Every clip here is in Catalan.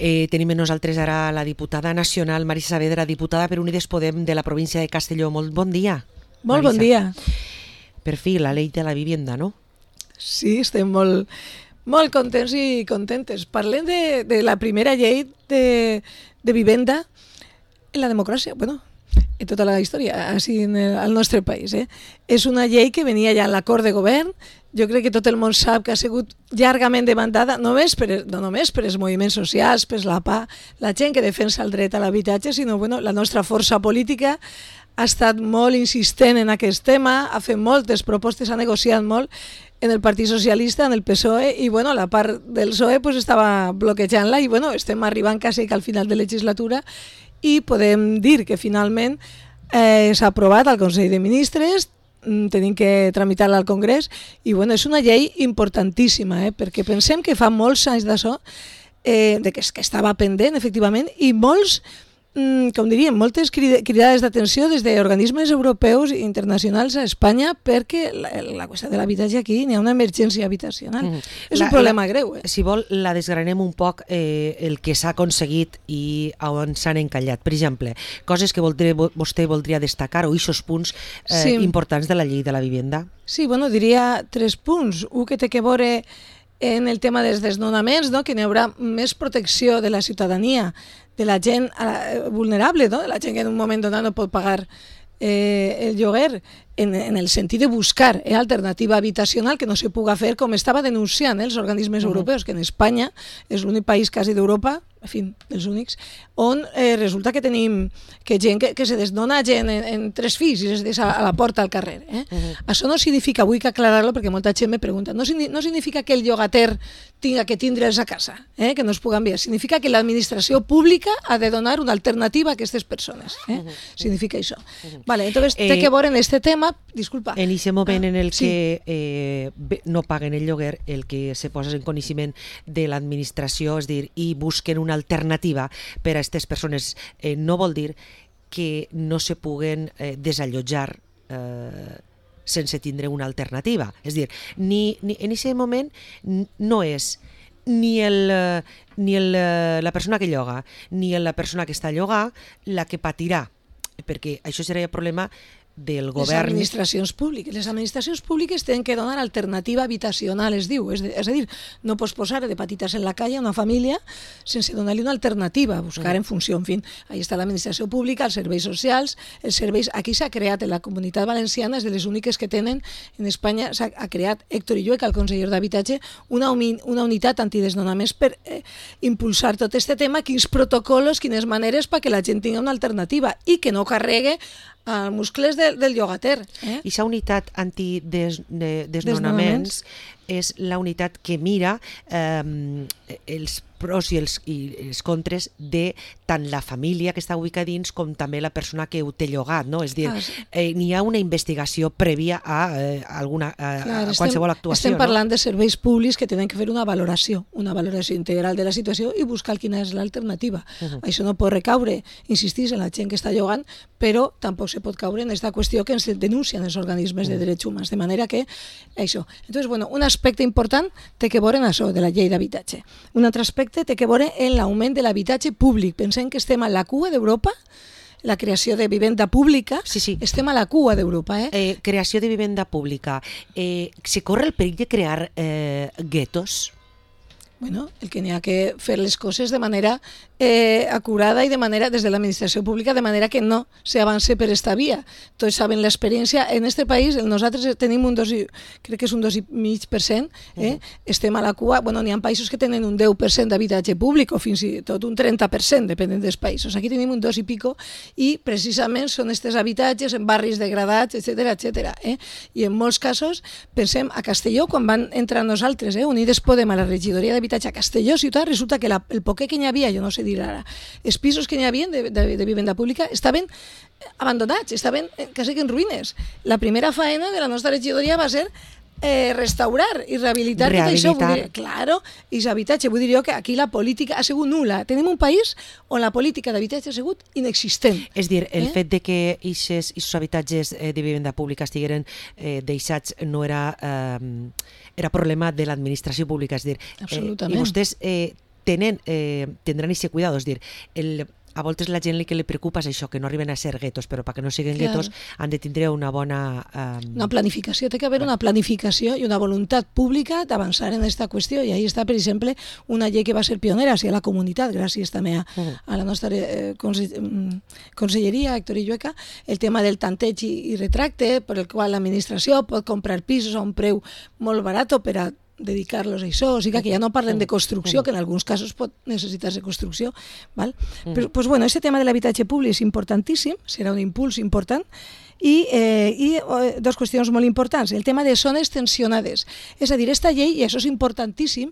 Tenim amb nosaltres ara la diputada nacional Marisa Saavedra, diputada per Unides Podem de la província de Castelló. Molt bon dia. Molt bon dia. Per fi, la llei de la vivienda, no? Sí, estem molt contents i contentes. Parlem de la primera llei de vivenda en la democràcia, bueno, en tota la història, així al nostre país. És una llei que venia ja en l'acord de govern. Jo crec que tot el món sap que ha sigut llargament demandada, no només per els moviments socials, per la PA, la gent que defensa el dret a l'habitatge, sinó la nostra força política ha estat molt insistent en aquest tema, ha fet moltes propostes, ha negociat molt en el Partit Socialista, en el PSOE, i la part del PSOE estava bloquejant-la, i estem arribant quasi al final de legislatura, i podem dir que finalment s'ha aprovat al Consell de Ministres, tenim que tramitar-la al Congrés, i és una llei importantíssima, perquè pensem que fa molts anys d'això, que estava pendent, efectivament, i moltes cridades d'atenció des d'organismes europeus i internacionals a Espanya, perquè la qüestió de l'habitatge aquí n'hi ha una emergència habitacional. És un problema greu. Si vol, la desgranem un poc el que s'ha aconseguit i on s'han encallat. Per exemple, coses que vostè voldria destacar o eixos punts importants de la llei de la vivenda. Sí, diria 3 punts. Un que té que veure en el tema dels desnonaments, que n'hi haurà més protecció de la ciutadania, de la gent vulnerable, de la gent que en un moment donat no pot pagar el lloguer, en el sentit de buscar alternativa habitacional que no se puga fer, com estava denunciant els organismes europeus, que en Espanya és l'únic país quasi d'Europa, en fi, dels únics, on resulta que tenim gent que se desnona gent en 3 fills i es deixa a la porta al carrer. Això no significa, vull aclarar-lo perquè molta gent me pregunta, no significa que el llogater tinga que tindre'ls a casa, que no es pugui enviar, significa que l'administració pública ha de donar una alternativa a aquestes persones. Significa això. Entonces, té que veure en aquest tema, disculpa. En aquest moment en el que no paguen el lloguer, el que se posa en coneixement de l'administració, és dir, i busquen una alternativa per a aquestes persones, no vol dir que no se puguen desallotjar sense tindre una alternativa. És dir, en aquest moment no és ni la persona que lloga ni la persona que està a llogar la que patirà, perquè això serà el problema del govern. Les administracions públiques tenen que donar alternativa habitacional, es diu, és a dir, no pots posar de patitas en la calle a una família sense donar-li una alternativa, buscar en funció, en fi, ahí està l'administració pública, els serveis socials, els serveis, aquí s'ha creat en la Comunitat Valenciana, és de les úniques que tenen en Espanya, s'ha creat Héctor Illueca, el conseller d'Habitatge, una unitat antidesnonaments per impulsar tot aquest tema, quins protocols, quines maneres perquè la gent tingui una alternativa i que no carregue als muscles del llogater. I aquesta unitat antidesnonaments és la unitat que mira els pros i els contres de tant la família que està ubicada dins com també la persona que ho té llogat, no? És dir, n'hi ha una investigació prèvia a qualsevol actuació. Estem parlant de serveis públics que tenen que fer una valoració integral de la situació i buscar quina és l'alternativa. Això no pot recaure, insistís, en la gent que està llogant, però tampoc se pot caure en aquesta qüestió que ens denuncien els organismes de drets humans, de manera que això. Entonces, un aspecte important té que veure en això de la llei d'habitatge. Un altre aspecte té que veure en l'augment de l'habitatge públic. Pensem que estem a la cua d'Europa, la creació de vivenda pública, estem a la cua d'Europa. Creació de vivenda pública. Se corre el perill de crear guetos? El que n'hi ha que fer les coses de manera acurada i de manera des de l'administració pública, de manera que no s'avance per esta via. Tots saben l'experiència. En aquest país nosaltres tenim crec que és un 2,5%, estem a la cua. N'hi ha països que tenen un 10% d'habitatge públic o fins i tot un 30%, depenent dels països. Aquí tenim un 2 i pico i precisament són aquests habitatges en barris degradats, etc. I en molts casos, pensem a Castelló, quan van entrar nosaltres, Unides Podem, a la regidoria d'habitatge a Castelló ciutat, resulta que el poquet que n'hi havia, jo no sé dir ara, els pisos que n'hi havia de vivenda pública estaven abandonats, estaven quasi que en ruïnes. La primera faena de la nostra regidoria va ser restaurar i rehabilitar tot això. Claro, i l'habitatge, vull dir jo que aquí la política ha sigut nul·la. Tenim un país on la política d'habitatge ha sigut inexistent. És dir, el fet de que aquests habitatges de vivenda pública estigueren deixats no era problema de l'administració pública, és dir, absolutament. I vostès tindran aquest cuidado, és dir, a voltes la gent que li preocupa és això, que no arriben a ser guetos, però perquè no siguin guetos han de tindre una bona... Una planificació, té que haver una planificació i una voluntat pública d'avançar en aquesta qüestió, i ahí està, per exemple, una llei que va ser pionera hacia la comunitat, gràcies també a la nostra conselleria, Héctor Illueca, el tema del tanteig i retracte, per el qual l'administració pot comprar pisos a un preu molt barat per a dedicar-los a això, o sigui que ja no parlem de construcció, que en alguns casos pot necessitar-se construcció, val? Però, pues bueno, este tema de l'habitatge públic és importantíssim, serà un impuls important, i dues qüestions molt importants. El tema de zones tensionades. És a dir, esta llei, i això és importantíssim,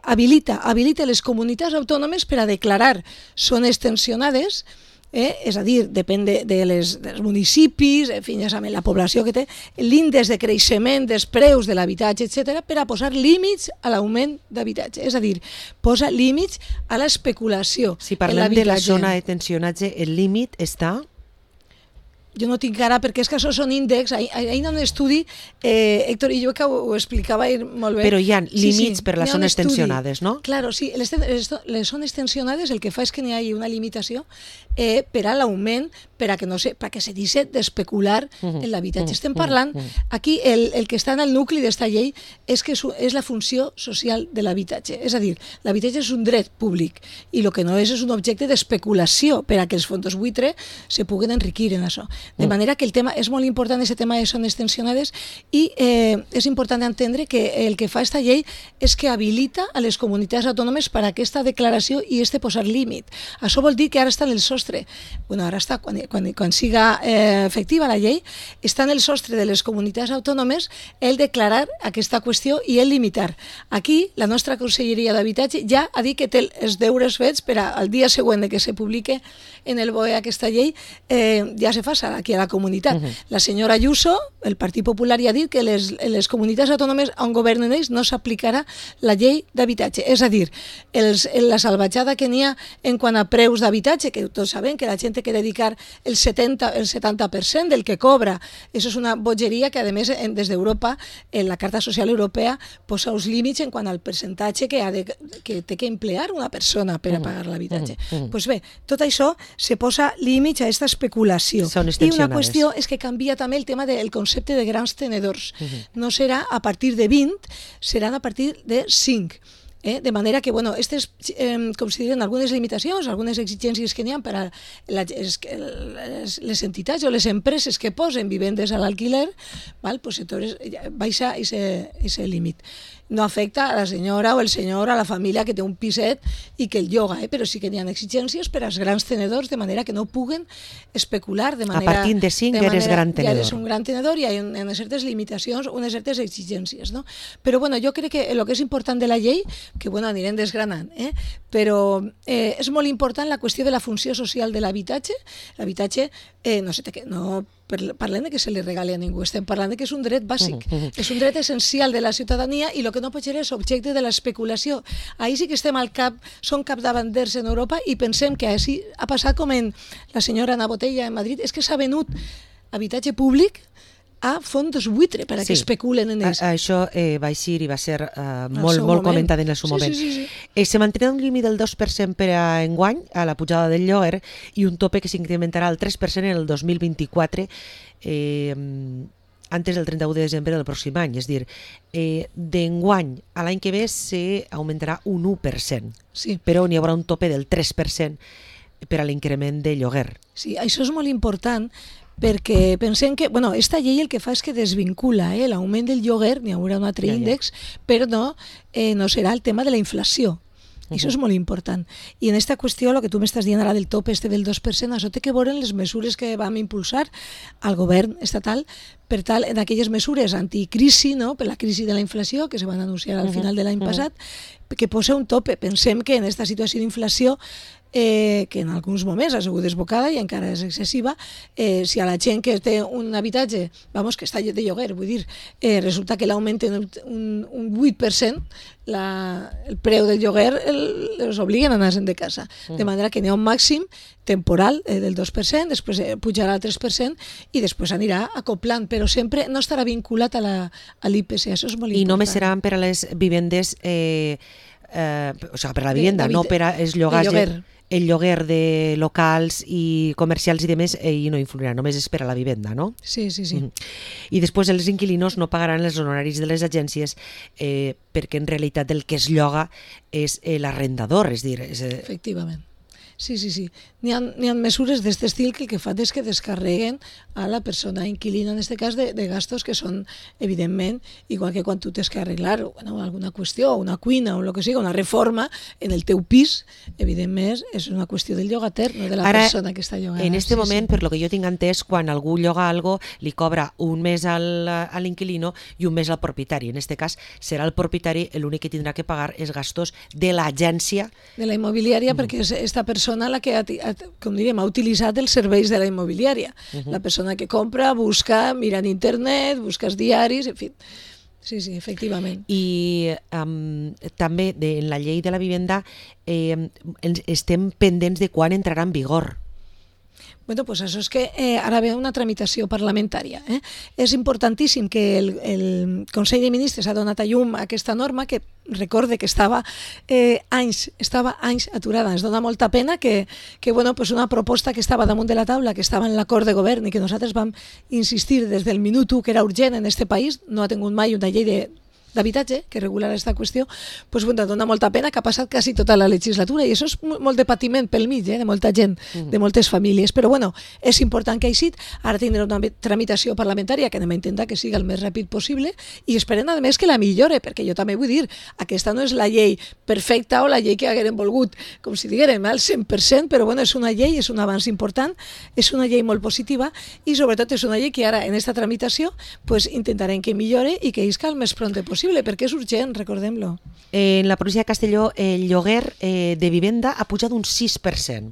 habilita les comunitats autònomes per a declarar zones tensionades. És a dir, depèn dels municipis, en fi, ja sabem, la població que té, l'índex de creixement dels preus de l'habitatge, etc., per a posar límits a l'augment d'habitatge. És a dir, posa límits a l'especulació. Si parlem de la zona de tensionatge, el límit està... Jo no tinc ara, perquè és que això són índexs. Ahir en un estudi, Héctor Illueca ho explicava molt bé. Però hi ha límits per les zones tensionades, no? Claro, sí. Les zones tensionades el que fa és que n'hi hagi una limitació per a l'augment, perquè se deixi d'especular en l'habitatge. Estem parlant, aquí el que està en el nucli d'esta llei és que és la funció social de l'habitatge. És a dir, l'habitatge és un dret públic i el que no és un objecte d'especulació per a que els fons buitre se puguen enriquir en això. De manera que el tema és molt important, aquest tema de zones tensionades, i és important entendre que el que fa esta llei és que habilita a les comunitats autònomes per a aquesta declaració i posar límit. Això vol dir que ara està en el sostre. Bueno, ara està, quan siga efectiva la llei, està en el sostre de les comunitats autònomes el declarar aquesta qüestió i el limitar. Aquí, la nostra Conselleria d'Habitatge ja ha dit que té els deures fets per al dia següent de que se publique en el BOE aquesta llei, ja se fa aquí a la comunitat. La senyora Ayuso, el Partit Popular, ja ha dit que les comunitats autònomes on governen ells no s'aplicarà la llei d'habitatge. És a dir, la salvatjada que n'hi ha en quant a preus d'habitatge, que tots sabem que la gent té que dedicar el 70% del que cobra. Això és una bogeria que, a més, des d'Europa, en la Carta Social Europea, posa uns límits en quant al percentatge que té que emplear una persona per a pagar l'habitatge. Doncs bé, tot això se posa límits a aquesta especulació. I una qüestió és que canvia també el tema del concepte de grans tenedors. No serà a partir de 20, seran a partir de 5. De manera que, bueno, aquestes consideren algunes limitacions, algunes exigències que n'hi ha per a les entitats o les empreses que posen vivendes a l'alquiler, baixa aquest límit. No afecta a la senyora o el senyor, a la família que té un piset i que el lloga, però sí que n'hi ha exigències per als grans tenedors, de manera que no puguen especular de manera... A partir de 5 eres gran tenedor. Ja eres un gran tenedor i hi ha unes certes limitacions, unes certes exigències, no? Però, bueno, jo crec que el que és important de la llei, que, bueno, anirem desgranant, però és molt important la qüestió de la funció social de l'habitatge. L'habitatge, no parlem de que se li regali a ningú, estem parlant de que és un dret bàsic, és un dret essencial de la ciutadania i el que no pot ser és objecte de l'especulació. Ahir sí que estem som capdavanters en Europa i pensem que així ha passat com en la senyora Ana Botella en Madrid, és que s'ha venut habitatge públic a fons buitre per a que especulen en ells. Això va eixir i va ser molt comentat en el seu moment. Se mantindrà un límit del 2% per a enguany a la pujada del lloguer i un tope que s'incrementarà al 3% en el 2024 antes del 31 de desembre del pròxim any. És a dir, d'enguany a l'any que ve s'augmentarà un 1%, però n'hi haurà un tope del 3% per a l'increment de lloguer. Sí, això és molt important, perquè pensem que, bueno, esta llei el que fa és que desvincula l'augment del lloguer, n'hi haurà un altre índex, però no serà el tema de la inflació. Això és molt important. I en aquesta qüestió, el que tu m'estàs dient ara del top del 2%, això té que veure en les mesures que vam impulsar al govern estatal per tal, en aquelles mesures anticrisi, per la crisi de la inflació, que se van anunciar al final de l'any passat, que posa un tope. Pensem que en aquesta situació d'inflació, que en alguns moments ha sigut desbocada i encara és excessiva, si a la gent que té un habitatge, que està de lloguer, vull dir, resulta que l'augmenten un 8%, el preu del lloguer els obliguen a anar-se'n de casa. De manera que n'hi ha un màxim temporal del 2%, després pujarà al 3% i després anirà acoplant, però sempre no estarà vinculat a l'IPC, això és molt important. I només seran per a les vivendes o sigui, per la vivienda, no per als llogars, el lloguer de locals i comercials i demés, i no influirà, només és per a la vivenda, no? Sí. I després els inquilinos no pagaran els honoraris de les agències perquè en realitat el que es lloga és l'arrendador, és dir... Efectivament. Sí. N'hi ha mesures d'aquest estil que el que fan és que descarreguen a la persona inquilina, en aquest cas, de gastos que són, evidentment, igual que quan tu tens que arreglar alguna qüestió, una cuina o el que sigui, una reforma en el teu pis, evidentment, és una qüestió del llogater, no de la persona que està llogant. En aquest moment, per lo que jo tinc entès, quan algú lloga algo, li cobra un mes a l'inquilino i un mes al propietari. En aquest cas, serà el propietari l'únic que tindrà que pagar els gastos de l'agència. De la immobiliària, perquè és esta persona la que com diríem, ha utilitzat els serveis de la immobiliària. La persona que compra, busca, mira en internet, busca els diaris, en fi. Sí, efectivament. I també en la llei de la vivenda estem pendents de quan entrarà en vigor. Bueno, pues això és que ara ve una tramitació parlamentària. És importantíssim que el Consell de Ministres ha donat a llum a aquesta norma que recorde que estava anys aturada. Ens dona molta pena que bueno, pues una proposta que estava damunt de la taula, que estava en l'acord de govern i que nosaltres vam insistir des del minut 1 que era urgent en aquest país, no ha tingut mai una llei d'habitatge que regular aquesta qüestió, doncs bueno, dona molta pena que ha passat quasi tota la legislatura i això és molt de patiment pel mig, de molta gent, de moltes famílies, però bueno, és important que ha eixit, ara tindrà una tramitació parlamentària que anem a intentar que sigui el més ràpid possible i esperem a més que la millore, perquè jo també vull dir, aquesta no és la llei perfecta o la llei que haguérem volgut, com si diguérem, al 100%, però bueno, és una llei, és un avanç important, és una llei molt positiva i sobretot és una llei que ara en aquesta tramitació pues, intentarem que millore i que isca el més pront possible, perquè és urgent, recordem-lo. En la província de Castelló el lloguer de vivenda ha pujat un 6%.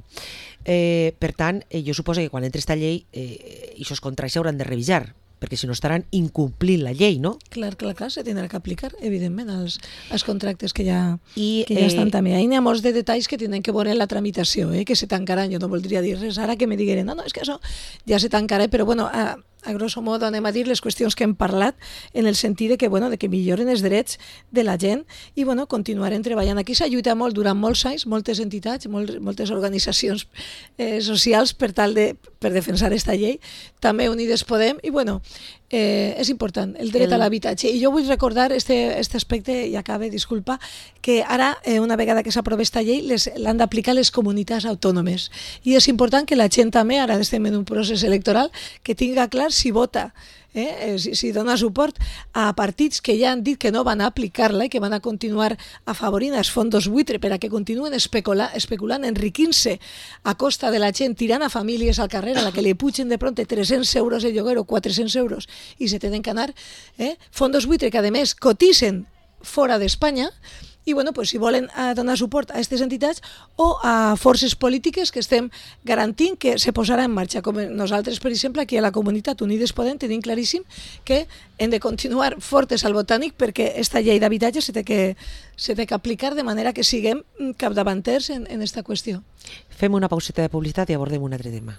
Per tant, jo suposo que quan entre aquesta llei aquests contractes s'hauran de revisar, perquè si no estaran incomplint la llei, no? Clar, se tindrà que aplicar, evidentment, als contractes que ja estan també. Ahí n'hi ha molts de detalls que tenen que veure en la tramitació, que se tancaran. Jo no voldria dir res ara que me digueren, no, és que això ja se tancarà, però bueno, a grosso modo anem a dir les qüestions que hem parlat en el sentit de que, bueno, de que milloren els drets de la gent i bueno, continuarem treballant. Aquí s'ha lluitat molt durant molts anys, moltes entitats, moltes organitzacions socials per defensar aquesta llei, també Unides Podem i bueno, és important, el dret a l'habitatge. I jo vull recordar aquest aspecte, i acabe, disculpa, que ara, una vegada que s'aprova aquesta llei, l'han d'aplicar les comunitats autònomes. I és important que la gent també, ara estem en un procés electoral, que tinga clar si vota, si dona suport a partits que ja han dit que no van a aplicar-la i que van a continuar afavorint els fondos buitre per a que continuen especulant, enriquint-se a costa de la gent, tirant a famílies al carrer a la que li pugen de pronte 300 euros el lloguer o 400 euros i se tenen que anar. Fondos buitre que a més cotitzen fora d'Espanya i bueno, pues, si volen donar suport a aquestes entitats o a forces polítiques que estem garantint que se posarà en marxa, com nosaltres, per exemple, aquí a la comunitat Unides Podem tenim claríssim que hem de continuar fortes al Botànic perquè aquesta llei d'habitatge se té que aplicar de manera que siguem capdavanters en aquesta qüestió. Fem una pauseta de publicitat i abordem un altre tema.